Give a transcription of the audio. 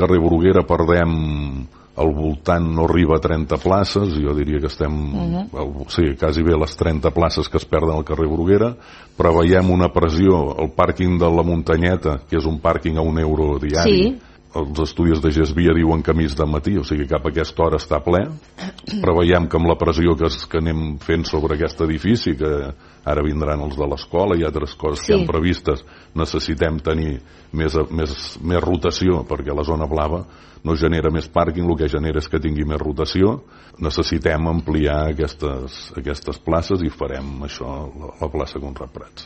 Carrer Bruguera perdem al voltant, no arriba a 30 places, jo diria que estem sí, quasi bé les 30 places que es perden al carrer Bruguera. Preveiem una pressió al pàrquing de la Muntanyeta, que és un pàrquing a €1 diari. Els estudis de Gesvia diuen que mig de matí, o sigui que cap a aquesta hora està ple. Preveiem que amb la pressió que anem fent sobre aquest edifici, que ara vindran els de l'escola i altres coses que han previstes, necessitem tenir més rotació, perquè la zona blava no genera més pàrquing, el que genera és que tingui més rotació. Necessitem ampliar aquestes places i farem això, la plaça Conrad Prats.